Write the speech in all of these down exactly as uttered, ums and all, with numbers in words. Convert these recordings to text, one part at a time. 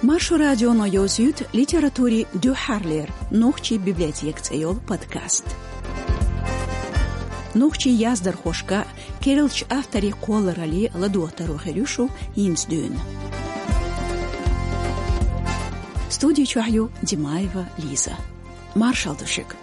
Маршо радионо йовзуьйту литературин дуьххьарлера «Нохчийн библиотека» цӀе йолу подкаст. Нохчийн яздархошка, керлачу авторийн кхолларалле ладогӀа таро хир ю шу хӀинца дуьйна. Студи чохь ю Димаева Лиза. Маршалла ду шуьга.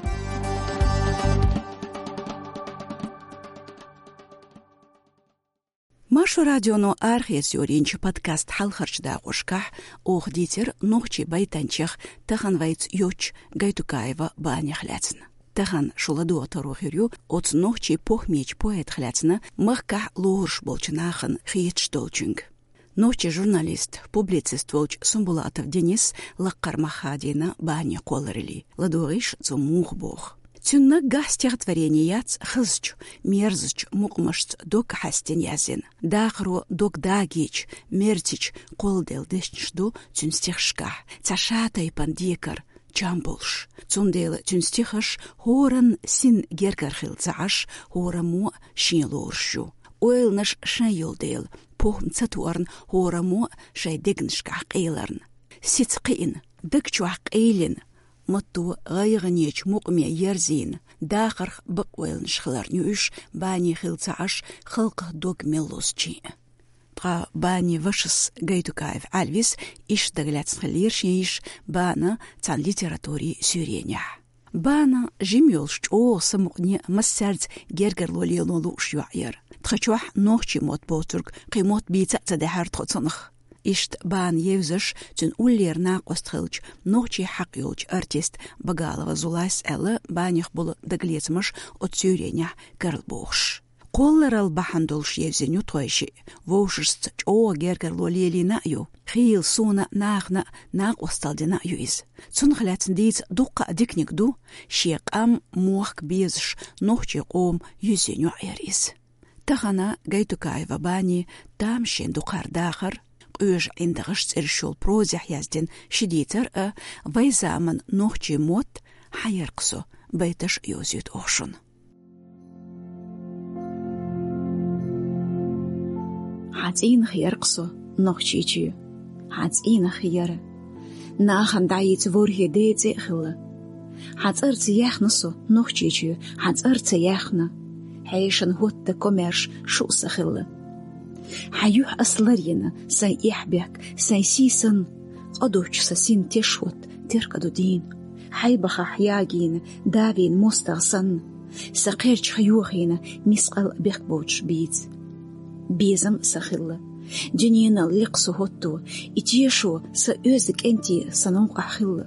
Маршо радионо арахецо йолийначу подкастан хьалхарчу дакъошкахь оха дийцира нохчийн байтанчех, тахана вайца йоцчу Гайтукаева Банех лаьцна. Тахана шу ладогӀа таро хир ю оцу нохчийн похӀмечу поэтах лаьцна, махкахь лоруш болчу нахана хеташ долчуьнга. Нохчийн журналист, публицист волчу Сумбулатов Денис лаккхара мах хадийна Банин кхоллараллин. ЛадогӀийша, цо муха боху. Цуьнан наггахь стихотворени яц хазачу, мерзачу мукъамашца дог хьаьстина язйина. Дахаро дог дагийча, мерзича кхолладелла дешнаш ду цуьнан стихашкахь, цхьа шатайпана декар, чам болуш. Цундела цуьнан стихаш хӀоранна син гергара хилла ца Ӏаш, хӀораммо а шен лоруш ю. Ойланаш шайн йолу дела, похӀма ца тоьарна, хӀораммо а шайн дегнашкахь къеларна. Сица кхиъна, даг чохь къийлина, матто гӀайгӀанечу мукъаме ерзийна, дахарх бакъойланаш хиларна ю уьш, Бани хилла ца Ӏаш, халкъах дог мел лозучийн а. Ткъа Бани вашас Гайтукаев Ӏалвис иштта дагалаьцна хиллера шен йиша Бана цхьана литературин суьйренехь. Бана жима йолуш чӀогӀа самукъане, массаьрца гергарло лело лууш йоӀ яра. Тхачохь нохчийн мотт боцург кхин мотт бийца а ца даьхьара тхо цунах. Иштта Бана евзаш, цуьнан уллера накъост хиллачу нохчийн хьакъ йолчу артист Багалова Зулайс аьлла, Баних болу дагалецамаш оцу суьйренехь карла бохуш. Кхолларалла бахьана долуш евзина ю тхойшиъ, вовшашца чӀогӀа гергарло лелийна а ю. Хийла суна а, нахана а накъосталла дина а ю иза. Цунах лаьцна дийца дуккха а диканиг ду, шен къам, мохк безаш, нохчийн къоман юьззина йоӀ яра иза. Тахана Гайтукаева Бани «Тамашийна дукхара дахар», «Къоьжа ӀиндагӀаш» цӀераш йолу прозехь яздина ши дийцар а, «Вайн заманан нохчийн мотт», «Хьан яркъа со» байташ а йовзуьйту оха шуна. Хьан цӀийнах яркъа со, Нохчийчоь, хьан цӀийнах яра. Нахана дӀайийца ворхӀе ден цӀе а хилла. Хьан цӀарца яьхна со, Нохчийчоь, хьан цӀарца яьхна. Хьешан хӀотта комаьрша шу а сан хилла. Хьан юьхь ас ларйина, сайн эхь-бехк, сайн сий санна, къа доцчу сан син теш хӀотта теркаду дийна. Хьайбахахь ягийна, давийна мостагӀа санна, сан кхерчах йохийна, мискъал бехк боцуш бийца. Безам а сан хилла. Дуьненал лекха со хӀотто, и тешо сан оьзда кӀентий сан новкъахь хилла.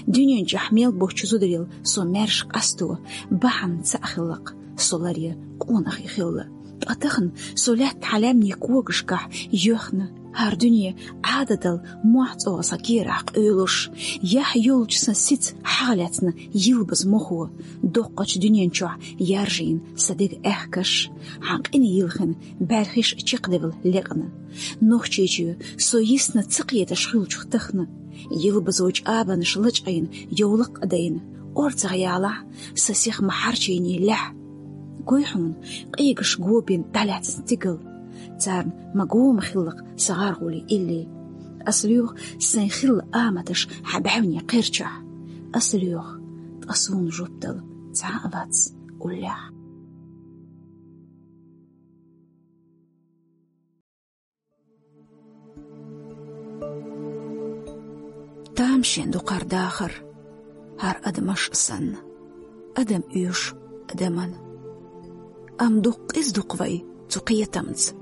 Дуьнен чохь мел боцчу зударел со маьрша къасто, бахьана цхьаъ хилла-кх, со ларъян къонахий хилла. Ткъа тахана со лаьтта хьан лаьмнийн когашкахь йоьхна, хӀара дуьне Ӏадатал мохь цӀогӀа сан керахь къуьйлуш, яхь йолчу сан сица хьагӀ лаьцна йилбаза мохо, доккхачу дуьнен чохь яржийна сан дега аьхкаш, хьан къина йилхина бӀаьрхиш чекхдевлла лекъна. Нохчийчоь, со йисна ца кхеташ хиллачух тахана, йилбазо чӀабанаш лачкъийна йовлакх а дайна, орцагӀ ялахь, сан сих ма хьарчийний лаьхь. Гой хьуна, къегаш го бина дӀалаьцна стигал. Царна ма гома хилла-кх сан гӀаргӀули илли. Ас лоьху сайн хилла аматаш хьан бӀаьвнийн кхерчахь. Ас лоьху, ткъа суна жоп дала цхьа а вац уллехь. Тамашийна дукхара дахар, хӀара адамаш а санна, адам оьшу адаман. Амма дукха къиза ду-кх вай цу кхетамца.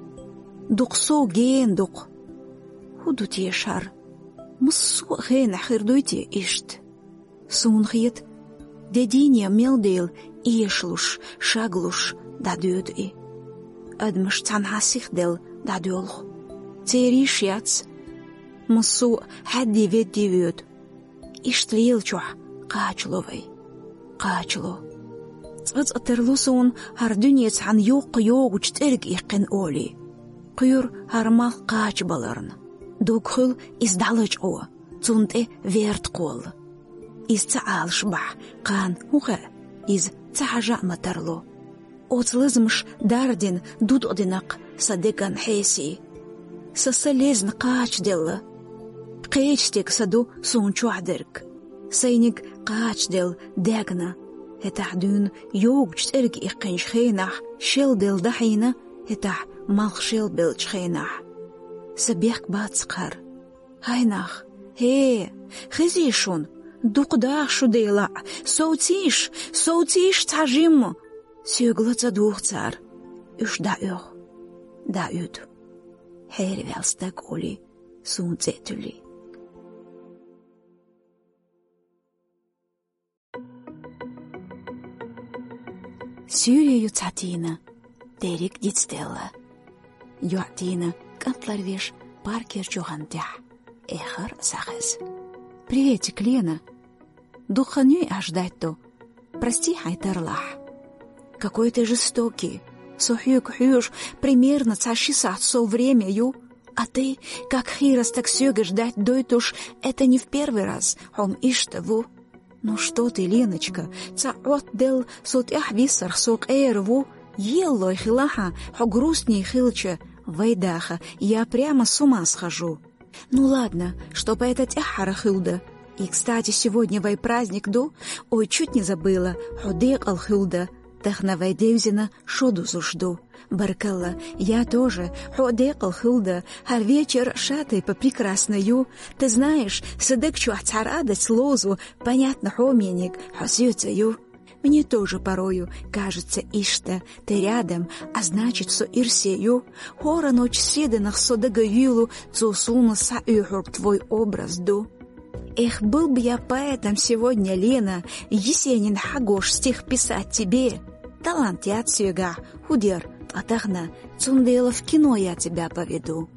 Дукха сов гена ду-кх. ХӀун ду теша хӀара? Массо а хенахь хир дуй те иштта? Суна хета, де дийне мел дела эшалуш, шаглуш дӀадоьду и. Адамаш цхьанхьа сихделла дӀадоьлху. Церан йиш яц. Массо а хьаьдди-ведди воьду. Иштта лелачохь кхачало вай. Кхачало. Цкъа-цкъа тарло суна хӀара дуьне цхьана йоккха йогӀучу цӀерга иккхина олий. Кхоьру хӀара малх кхачабаларна. Дог хуьлу иза дӀалачкъо, цунна тӀе верта кхолла. Иза ца Ӏалаш бахь, кхана хӀун хаьа, иза ца хьажа а ма тарло. Оцу лазамаша дардина, дудкъадина-кх сан деган хьесий. Сан са лезна кхачаделла. Кхеча стеган са ду суна чохь дерг. Сайниг кхачаделла дегна. ХӀетахь дуьйна йогучу цӀерга иккхинчу хенахь, шел делла дахьийна, хӀетахь малх шел беллачу хенахь. Сан бехк бац кхара. ХӀай нах, хӀе, хезий шуна, дукха даха шу, Дела, совцийша, совцийша цхьа жимма. Соьга ла ца дугӀу цара, уьш дӀаоьху, дӀаоьду. Хьераваьлла стаг хуьлий, суна цӀе а туьллий. Суьйре ю цхьа тийна, дерриг дицделла. ЙоӀ тийна, кӀант ларвеш, паркера чу гӀантехь. Эххар схьахеза. «Приветик, Лена! Дукха хан юй аш ждать ду? Прости хьайн тарлахь». «Какой ты жестокий! Со хьоьга хьоьжу примерно цхьа ши сахьт сов время ю. А ты, как хийра стаг соьга ждать дойтуш, это не в первый раз, хьо-м иштта ву». «Ну что ты, Леночка, цхьа Ӏоттаделла со тӀаьхьа виссарх со къера ву. Еллой хилахьа, хьо грустный хилча, вай даха, я прямо с ума схожу». «Ну ладно, чтоб это тӀаьххьара хилда. И, кстати, сегодня вай праздник ду. Ой, чуть не забыла, хьо декъал хилда. Тахана вай девзина шо дузуш ду». «Баркалла, я тоже, хьо а декъал хилда, хӀара вечер шатайпа прекрасно ю. Ты знаешь, сан даг чохь цхьа радость ловзу, понятно, хьо мениг, хьо соьца ю». «Мне тоже порою кажется иштта, ты рядом, а значит, со ирсе ю. ХӀора ночь седанах со дага юьйлу, цо суна схьаоьхург твой образ ду». «Эх, был бы я поэтом сегодня, Лена, Есенин хьагош стих писать тебе. Талант яц соьгахь, хӀу дер, ткъа тахана, цундела в кино я тебя поведу».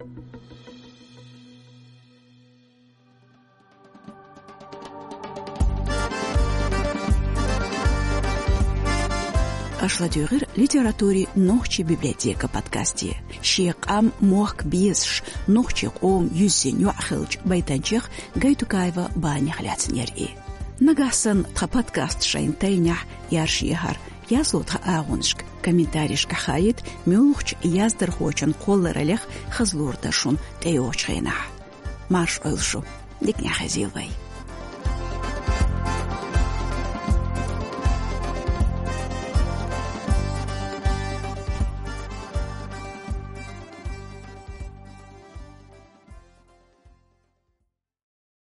Аш ладуьйгӀира литературин нохчийн библиотека подкасте. Шен къам, мохк безаш, нохчийн къоман юьззина йоӀ хиллачу байтанчех Гайтукаева Банех лаьцнера и. Нагахь санна тхан подкаст шайна тайнехь, яржехьара, язло тхан агӀонашка, комментарийшкахь хаийта, муьлххачу яздархочун кхоллараллех хаза лур дара шуна тӀейогӀучу хенахь. Марша Ӏойла шу, диканехь хезийла вай.